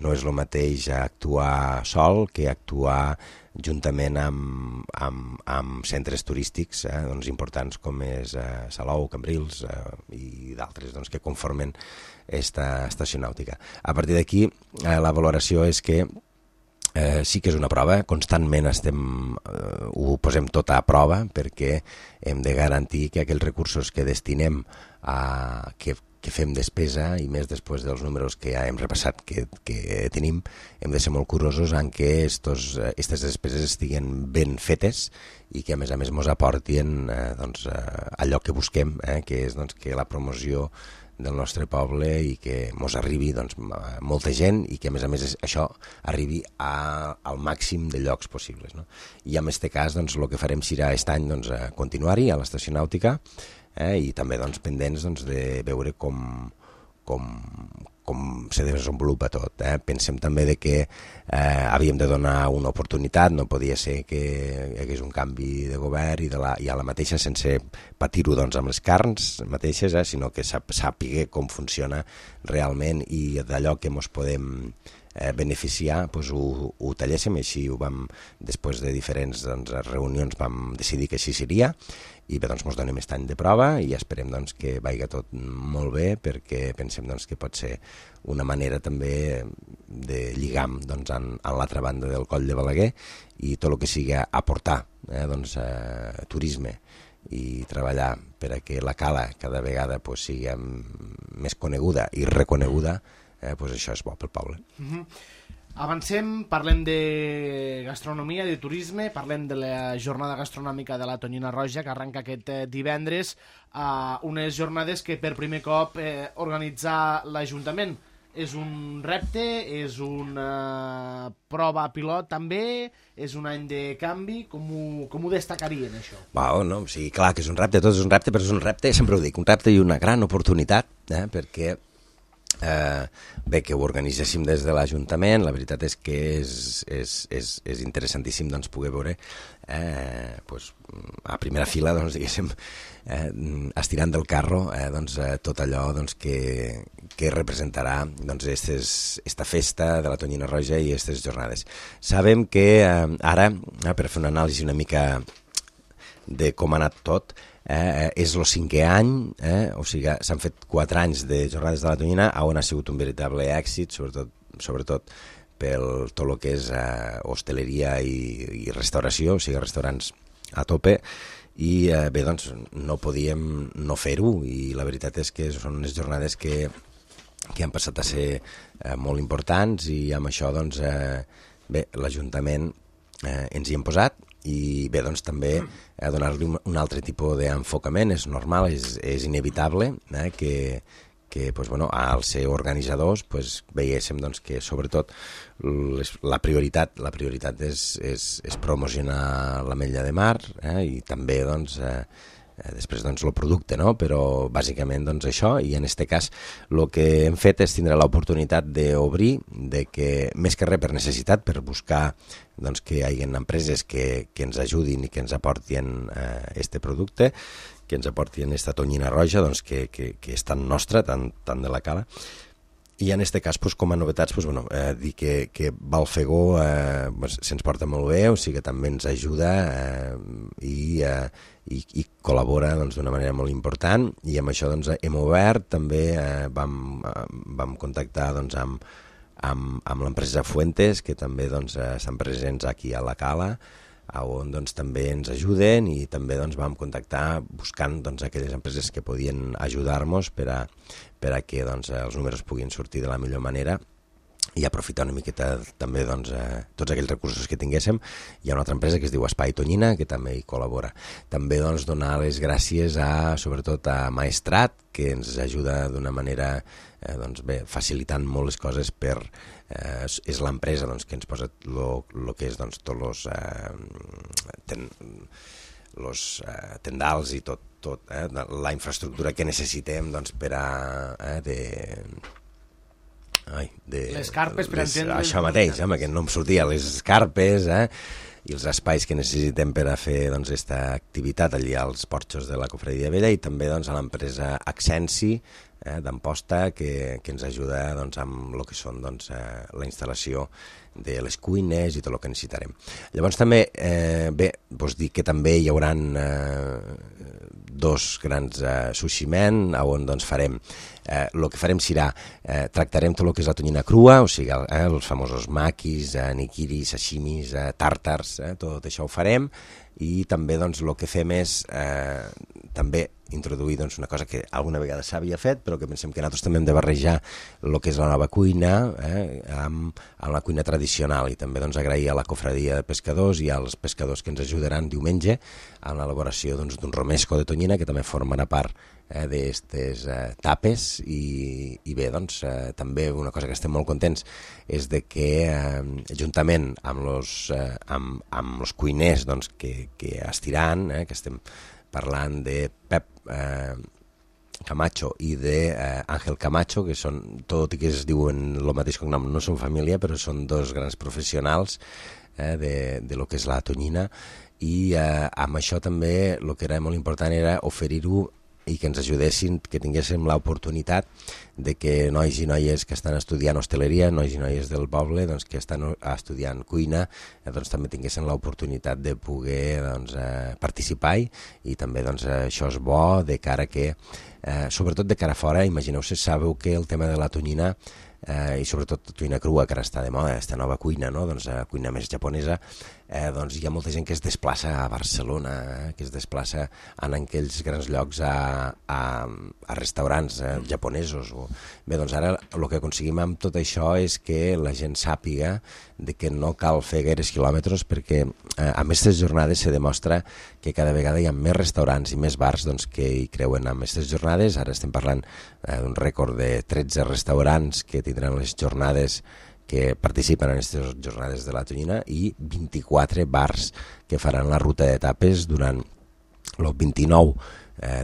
no és el mateix actuar sol que actuar juntament amb, amb, amb centres turístics eh, doncs importants com és eh, Salou, Cambrils eh, i d'altres doncs, que conformen esta estació nàutica. A partir d'aquí eh, la valoració és que eh, sí que és una prova, constantment estem, eh, ho posem tot a prova perquè hem de garantir que aquells recursos que destinem a que que fem despesa, i més després dels números que ja hem repassat que, que tenim, hem de ser molt curosos en què aquestes despeses estiguin ben fetes i que a més a més ens aportin eh, doncs, eh, allò que busquem, eh, que és doncs, que la promoció del nostre poble i que ens arribi doncs, molta gent i que a més a més això arribi a, al màxim de llocs possibles. No? I en aquest cas doncs, el que farem serà aquest any doncs, continuar-hi a l'estació nàutica, Eh, i també doncs, pendents doncs, de veure com, com, com se desenvolupa tot. Eh. Pensem també de que eh, havíem de donar una oportunitat, no podia ser que hi hagués un canvi de govern i, de la, i a la mateixa sense patir-ho doncs, amb les carns mateixes, eh, sinó que sàpiga com funciona realment i d'allò que ens podem eh, beneficiar, doncs ho, ho talléssim, i així ho vam, després de diferents doncs, reunions vam decidir que així seria, i bé, doncs ens donem aquest any de prova i esperem doncs, que vagi tot molt bé, perquè pensem doncs, que pot ser una manera també de lligam doncs, en, en l'altra banda del Coll de Balaguer, i tot el que sigui aportar eh, doncs, eh, turisme i treballar per a que la cala cada vegada pues, sigui més coneguda i reconeguda, eh, pues això és bo pel poble. Mm-hmm. Avancem, parlem de gastronomia, de turisme, parlem de la jornada gastronòmica de la Tonyina Roja, que arrenca aquest divendres, a unes jornades que per primer cop eh, organitzar l'Ajuntament. És un repte, és una prova pilot també, és un any de canvi, com ho, com ho destacarien això? Wow, no? Sí, clar que és un repte, tot és un repte, però és un repte, sempre ho dic, un repte i una gran oportunitat, eh, perquè Eh, bé, que ho organitzéssim des de l'Ajuntament, la veritat és que és, és, és, és interessantíssim doncs, poder veure eh, doncs, a primera fila doncs, diguéssim, eh, estirant del carro eh, doncs, eh, tot allò doncs, que, que representarà doncs, estes, esta festa de la Tonyina Roja i aquestes jornades. Sabem que eh, ara, eh, per fer una anàlisi una mica de com ha anat tot, Eh, és el cinquè any, eh? O sigui, s'han fet quatre anys de jornades de la Tonyina, on ha sigut un veritable èxit, sobretot, sobretot pel tot el que és eh, hostaleria i, i restauració, o sigui, restaurants a tope, i eh, bé, doncs no podíem no fer-ho, i la veritat és que són unes jornades que, que han passat a ser eh, molt importants, i amb això, doncs, eh, bé, l'Ajuntament eh, ens hi hem posat, i bé, doncs també eh, donar-li un, un altre tipus d'enfocament, és normal, és, és inevitable eh, que, que pues, bueno, al ser organitzadors pues, veiéssim doncs, que sobretot les, la prioritat la prioritat és, és, és promocionar l'Ametlla de Mar eh, i també doncs, eh, després doncs, el producte, no? Però bàsicament doncs, això, i en aquest cas el que hem fet és tindre l'oportunitat d'obrir, de que més que res per necessitat, per buscar doncs, que hi hagi empreses que, que ens ajudin i que ens aportin aquest eh, producte, que ens aportin aquesta Tonyina Roja, doncs, que, que, que és tan nostra, tan, tan de la cala. I en aquest cas, doncs, com a novetats, doncs, bueno, eh, dir que, que Balfegó eh, doncs, se'ns porta molt bé, o sigui que també ens ajuda eh, i, eh, i, i col·labora doncs, d'una manera molt important, i amb això doncs, hem obert, també eh, vam, eh, vam contactar doncs, amb, amb, amb l'empresa Fuentes, que també doncs, eh, estan presents aquí a la Cala, on doncs, també ens ajuden, i també doncs, vam contactar buscant doncs, aquelles empreses que podien ajudar-nos per a, per a que doncs, els números puguin sortir de la millor manera i aprofitar una miqueta també doncs, eh, tots aquells recursos que tinguéssim. Hi ha una altra empresa que es diu Espai Tonyina, que també hi col·labora. També doncs, donar les gràcies a, sobretot a Maestrat, que ens ajuda d'una manera eh, doncs, bé, facilitant molt les coses per... Eh, és l'empresa doncs, que ens posa el que és doncs, tots els eh, ten, los, eh, tendals i tot, tot eh, la infraestructura que necessitem doncs, per a... Eh, de, ai, de, les carpes per les, entendre... Això mateix, home, que no em sortia, les carpes eh, i els espais que necessitem per a fer doncs, aquesta activitat allà als porxos de la Cofradia Vella, i també doncs, a l'empresa Accensi, Eh, d'Amposta, que, que ens ajuda doncs, amb el que són doncs, eh, la instal·lació de les cuines i tot el que necessitarem. Llavors també, eh, bé, vos dic que també hi haurà eh, dos grans eh, sushi-men, on doncs, farem, eh, el que farem serà, eh, tractarem tot el que és la tonyina crua, o sigui, eh, els famosos makis, eh, nikiris, sashimis, eh, tàrtars, eh, tot això ho farem, i també doncs, el que fem és eh, també introduir doncs, una cosa que alguna vegada s'havia fet, però que pensem que nosaltres també hem de barrejar el que és la nova cuina eh, amb, amb la cuina tradicional, i també doncs, agrair a la Cofradia de Pescadors i als pescadors que ens ajudaran diumenge en l'elaboració doncs, d'un romesco de tonyina, que també formarà part eh, d'aquestes eh, tapes, i, i bé, doncs, eh, també una cosa que estem molt contents és de que eh, juntament amb els eh, amb, amb los cuiners doncs, que, que estiran, eh, que estem parlant de Pep eh, Camacho i d'Àngel eh, Camacho, que són, tot i que es diuen el mateix cognom, no són família, però són dos grans professionals eh, de, de lo que és la tonyina, i eh, amb això també el que era molt important era oferir-ho i que ens ajudessin, que tinguéssim l'oportunitat de que nois i noies que estan estudiant hostaleria, nois i noies del poble doncs, que estan estudiant cuina, eh, doncs, també tinguessin l'oportunitat de poder doncs, eh, participar-hi, i també doncs, això és bo de cara que, eh, sobretot de cara a fora, imagineu-se, sabeu que el tema de la tonyina, eh, i sobretot tonyina crua, que ara està de moda, aquesta nova cuina, no? doncs, eh, cuina més japonesa, eh, doncs hi ha molta gent que es desplaça a Barcelona, eh, que es desplaça en aquells grans llocs a, a, a restaurants eh, japonesos. O... Bé, doncs ara el que aconseguim amb tot això és que la gent sàpiga de que no cal fer gaires quilòmetres, perquè eh, a aquestes jornades se demostra que cada vegada hi ha més restaurants i més bars doncs, que hi creuen amb aquestes jornades. Ara estem parlant eh, d'un rècord de tretze restaurants que tindran les jornades que participen en aquestes jornades de la tonyina i vint-i-quatre bars que faran la ruta d'etapes durant el vint-i-nou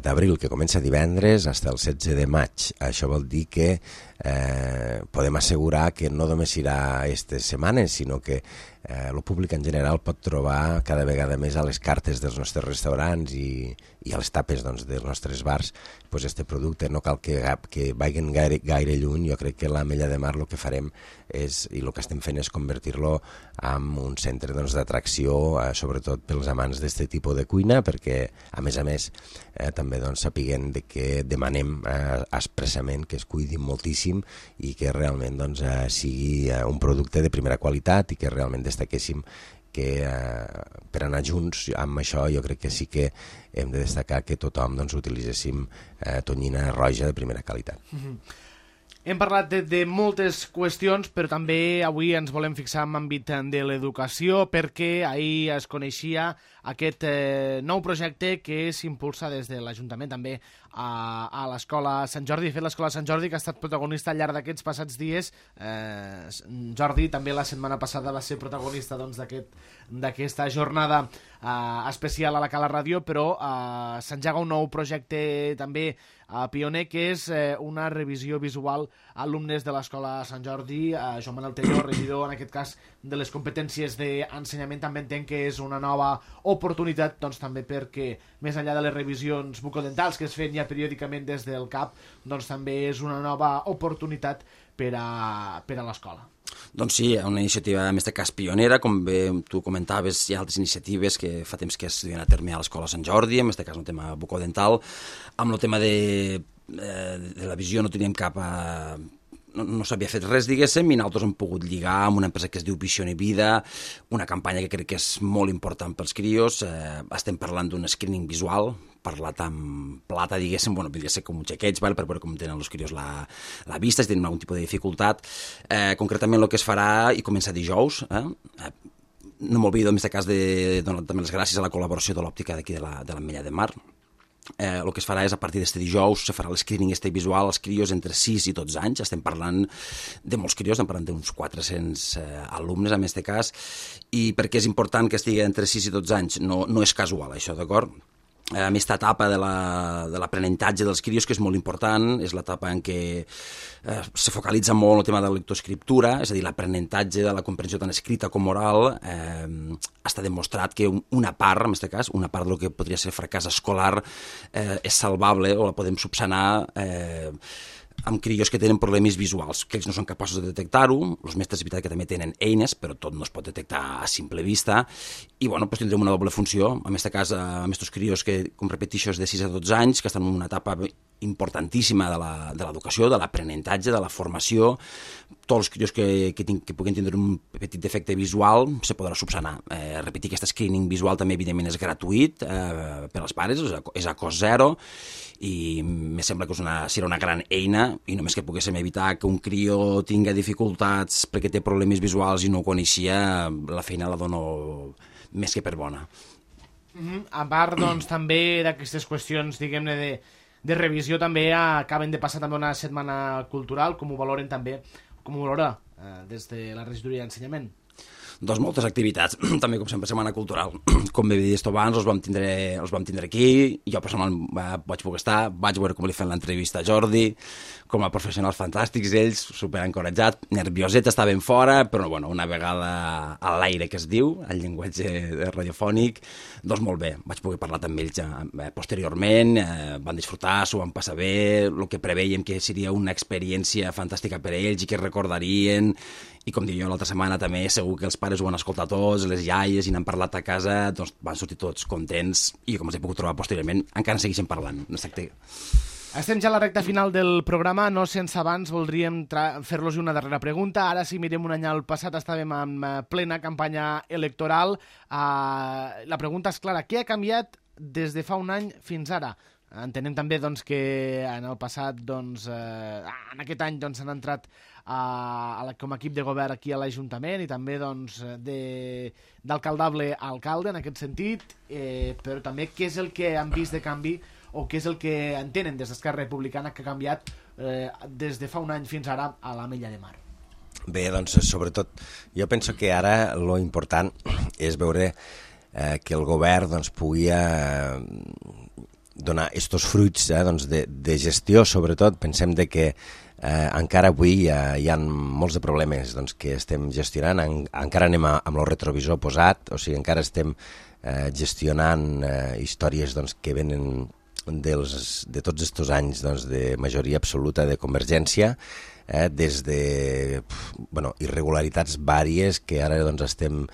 d'abril, que comença divendres, fins el setze de maig. Això vol dir que eh, podem assegurar que no només serà aquestes setmanes, sinó que eh, el públic en general pot trobar cada vegada més a les cartes dels nostres restaurants i, i a les tapes doncs, dels nostres bars pues, este producte. No cal que, que vagin gaire, gaire lluny. Jo crec que l'Ametlla de Mar el que farem és, i el que estem fent és convertir-lo en un centre doncs, d'atracció, eh, sobretot pels amants d'aquest tipus de cuina, perquè a més a més eh, també doncs, sapiguem de que demanem eh, expressament que es cuidin moltíssim i que realment doncs, eh, sigui eh, un producte de primera qualitat i que realment destaquéssim que eh, per anar junts amb això jo crec que sí que hem de destacar que tothom doncs, utilitzéssim eh, tonyina roja de primera qualitat. Mm-hmm. Hem parlat de, de moltes qüestions, però també avui ens volem fixar en l'àmbit de l'educació, perquè ahir es coneixia aquest eh, nou projecte que s'impulsa des de l'Ajuntament també a, a l'Escola Sant Jordi. De fet, l'Escola Sant Jordi, que ha estat protagonista al llarg d'aquests passats dies, eh, Jordi també la setmana passada va ser protagonista doncs, d'aquesta aquest, jornada eh, especial a la Cala Ràdio, però eh, s'engega un nou projecte també a pioner, que és eh, una revisió visual a alumnes de l'Escola Sant Jordi. Eh, Joan Manuel Telló, regidor, en aquest cas, de les competències d'ensenyament, també entenc que és una nova oportunitat, doncs també perquè, més enllà de les revisions bucodentals que es feien ja periòdicament des del C A P, doncs també és una nova oportunitat per a, per a l'escola. Doncs sí, una iniciativa, en aquest cas, pionera, com bé tu comentaves, hi ha altres iniciatives que fa temps que es duen a terme a l'Escola Sant Jordi, en aquest cas un tema bucodental. Amb el tema de, de la visió no teníem cap a... no, no s'havia fet res, diguéssim, i nosaltres hem pogut lligar amb una empresa que es diu Visione Vida, una campanya que crec que és molt important pels crios. Eh, estem parlant d'un screening visual, parlat amb plata, diguéssim, bueno, podria ser com un xequeig, val? Per veure com tenen els crios la, la vista, si tenen algun tipus de dificultat. Eh, concretament el que es farà, i comença dijous, eh? eh no m'oblido en aquest cas de donar també les gràcies a la col·laboració de l'òptica d'aquí de l'Ametlla de Mar. Eh, el que es farà és, a partir d'este dijous, se farà l'escreening este visual als crios entre sis i dotze anys. Estem parlant de molts crios, estem parlant d'uns quatre-cents eh, alumnes, en aquest cas, i per què és important que estigui entre sis i dotze anys? No, no és casual, això, d'acord? Eh, aquesta etapa de l'aprenentatge de dels crios, que és molt important, és l'etapa en què eh, se focalitza molt el tema de la lectoescriptura, és a dir, l'aprenentatge de la comprensió tant escrita com oral. Eh, està demostrat que una part, en aquest cas, una part del que podria ser fracàs escolar eh, és salvable o la podem subsanar eh, amb crios que tenen problemes visuals, que ells no són capaços de detectar-ho. Els mestres, és veritat que també tenen eines, però tot no es pot detectar a simple vista, i bueno, doncs tindrem una doble funció, en aquest cas amb aquests crios que, com repeteixo, és de sis a dotze anys, que estan en una etapa importantíssima de l'educació, de l'aprenentatge, de la formació. Tots els crios que, que, que puguin tindre un petit defecte visual se podrà subsanar. Eh, repetir aquest screening visual també, evidentment, és gratuït eh, per als pares, és a, és a cost zero, i me sembla que és una, serà una gran eina, i només que poguéssim evitar que un crió tinga dificultats perquè té problemes visuals i no ho coneixia, la feina la dono més que per bona. Mm-hmm. A part, doncs, també d'aquestes qüestions, diguem-ne, de, de revisió, també acaben de passar també una setmana cultural. Com ho valoren també, com ho valora eh, des de la regidoria d'ensenyament? Doncs moltes activitats, també com sempre Setmana Cultural. Com bé dit abans, els vam tindre, els vam tindre aquí, jo personalment vaig poder estar, vaig veure com li fan l'entrevista a Jordi, com a professionals fantàstics ells, superencoratjats, nervioset, estaven fora, però bueno, una vegada a l'aire que es diu, el llenguatge radiofònic, doncs molt bé, vaig poder parlar amb ells eh, posteriorment, eh, van disfrutar, s'ho van passar bé, el que preveiem que seria una experiència fantàstica per a ells i que recordarien. I com dic jo l'altra setmana també, segur que els pares ho van escoltar tots, les iaies, i n'han parlat a casa, doncs van sortir tots contents, i com els he pogut trobar posteriorment, encara segueixen parlant. Estem ja a la recta final del programa, no sense abans voldríem fer-los una darrera pregunta. Ara, si mirem un any al passat, estàvem en plena campanya electoral. Uh, la pregunta és clara, què ha canviat des de fa un any fins ara? Entenem també doncs, que en el passat, doncs, eh, en aquest any, doncs, han entrat a, a la, com a equip de govern aquí a l'Ajuntament i també doncs, d'alcaldable a alcalde en aquest sentit, eh, però també què és el que han vist de canvi o què és el que entenen des d'Esquerra Republicana que ha canviat eh, des de fa un any fins ara a l'Ametlla de Mar. Bé, doncs, sobretot, jo penso que ara lo important és veure eh, que el govern doncs, pugui eh, donar estos fruits eh, doncs de, de gestió, sobretot. Pensem de que eh, encara avui hi ha, hi ha molts de problemes doncs, que estem gestionant, en, encara anem a, amb el retrovisor posat, o sigui, encara estem eh, gestionant eh, històries doncs, que venen dels, de tots aquests anys doncs, de majoria absoluta de Convergència, eh, des de bueno, irregularitats vàries que ara doncs, estem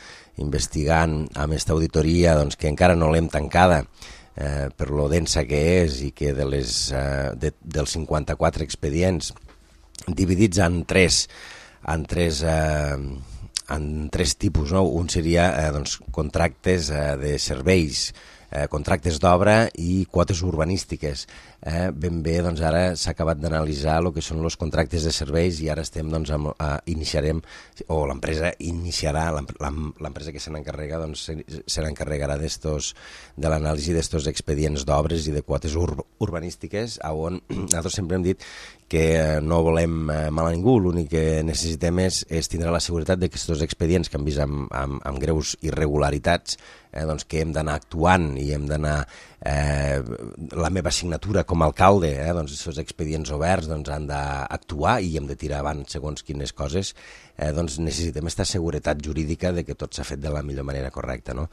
investigant amb aquesta auditoria doncs, que encara no l'hem tancada, Eh, per lo densa que és i que de les, eh, de, dels cinquanta-quatre expedients dividits en tres, en tres, eh, en tres tipus, no? Un seria eh, doncs, contractes eh, de serveis, eh, contractes d'obra i quotes urbanístiques. Eh, ben bé, doncs ara s'ha acabat d'analitzar el que són els contractes de serveis i ara estem, doncs, amb, eh, iniciarem, o l'empresa iniciarà, l'empresa que se n'encarrega, doncs, se, se n'encarregarà d'estos, de l'anàlisi d'estos expedients d'obres i de quotes ur, urbanístiques, on nosaltres sempre hem dit que no volem eh, mal a ningú, l'únic que necessitem és, és tindre la seguretat de que aquests expedients que han vist amb, amb, amb greus irregularitats, eh, doncs que hem d'anar actuant i hem d'anar eh, la meva signatura com a alcalde, eh, doncs aquests expedients oberts doncs, han d'actuar i hem de tirar avant segons quines coses, eh, doncs necessitem aquesta seguretat jurídica de que tot s'ha fet de la millor manera correcta. No?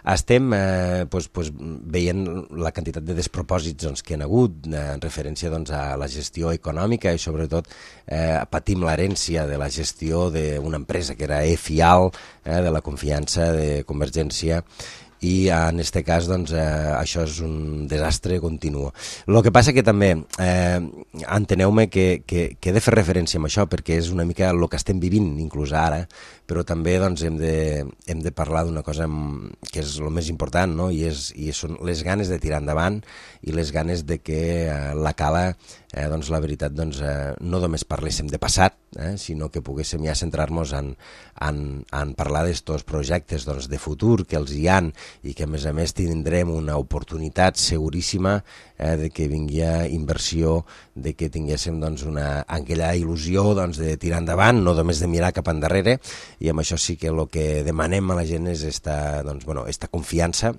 Estem eh, doncs, doncs, veient la quantitat de despropòsits doncs, que han hagut eh, en referència doncs, a la gestió econòmica i sobretot eh, patim l'herència de la gestió d'una empresa que era E-Fial, eh, de la confiança de Convergència, i en aquest cas doncs, eh, això és un desastre continu. El que passa que també eh, enteneu-me que, que, que he de fer referència amb això perquè és una mica el que estem vivint inclús ara, però també doncs, hem, de, hem de parlar d'una cosa que és el més important, no? I, és, i són les ganes de tirar endavant i les ganes de que eh, la Cala, eh, doncs, la veritat, doncs, eh, no només parléssim de passat, eh, sinó que poguéssim ja centrar-nos en, en, en parlar d'estos projectes doncs, de futur que els hi han i que a més a més tindrem una oportunitat seguríssima eh, de que vingui inversió, de que tinguéssim doncs, una, aquella il·lusió doncs, de tirar endavant, no només de mirar cap endarrere, i amb això sí que el que demanem a la gent és esta, doncs, bueno, esta confiança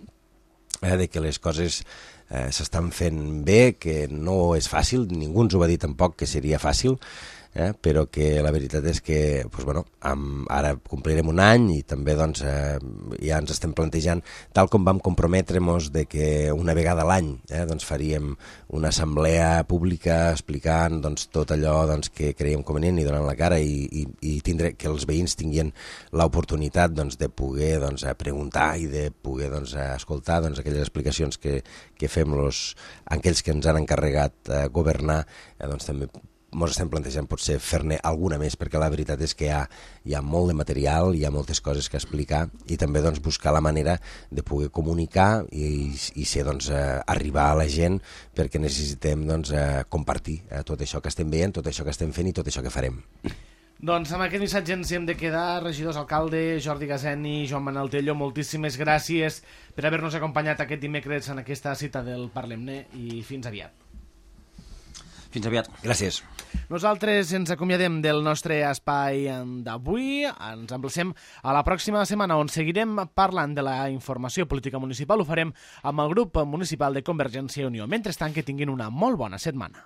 eh, de que les coses eh, s'estan fent bé, que no és fàcil, ningú ens ho va dir tampoc que seria fàcil, eh, però que la veritat és que doncs, bueno, amb, ara complirem un any i també doncs, eh, ja ens estem plantejant, tal com vam comprometre'ns de que una vegada a l'any eh, doncs, faríem una assemblea pública explicant doncs, tot allò doncs, que creiem convenient i donant la cara i, i, i tindre, que els veïns tinguin l'oportunitat doncs, de poder doncs, preguntar i de poder doncs, escoltar doncs, aquelles explicacions que, que fem los, aquells que ens han encarregat eh, governar, eh, doncs també ens estem plantejant potser fer-ne alguna més, perquè la veritat és que hi ha, hi ha molt de material, hi ha moltes coses que explicar i també doncs, buscar la manera de poder comunicar i, i ser, doncs, eh, arribar a la gent, perquè necessitem doncs, eh, compartir eh, tot això que estem veient, tot això que estem fent i tot això que farem. Doncs amb aquest missatge ens hem de quedar. Regidors, alcalde, Jordi Gazeni, Joan Manel Tello, moltíssimes gràcies per haver-nos acompanyat aquest dimecres en aquesta cita del Parlem-ne i fins aviat. Fins aviat. Gràcies. Nosaltres ens acomiadem del nostre espai d'avui. Ens emplacem a la pròxima setmana, on seguirem parlant de la informació política municipal. Ho farem amb el grup municipal de Convergència i Unió. Mentrestant, que tinguin una molt bona setmana.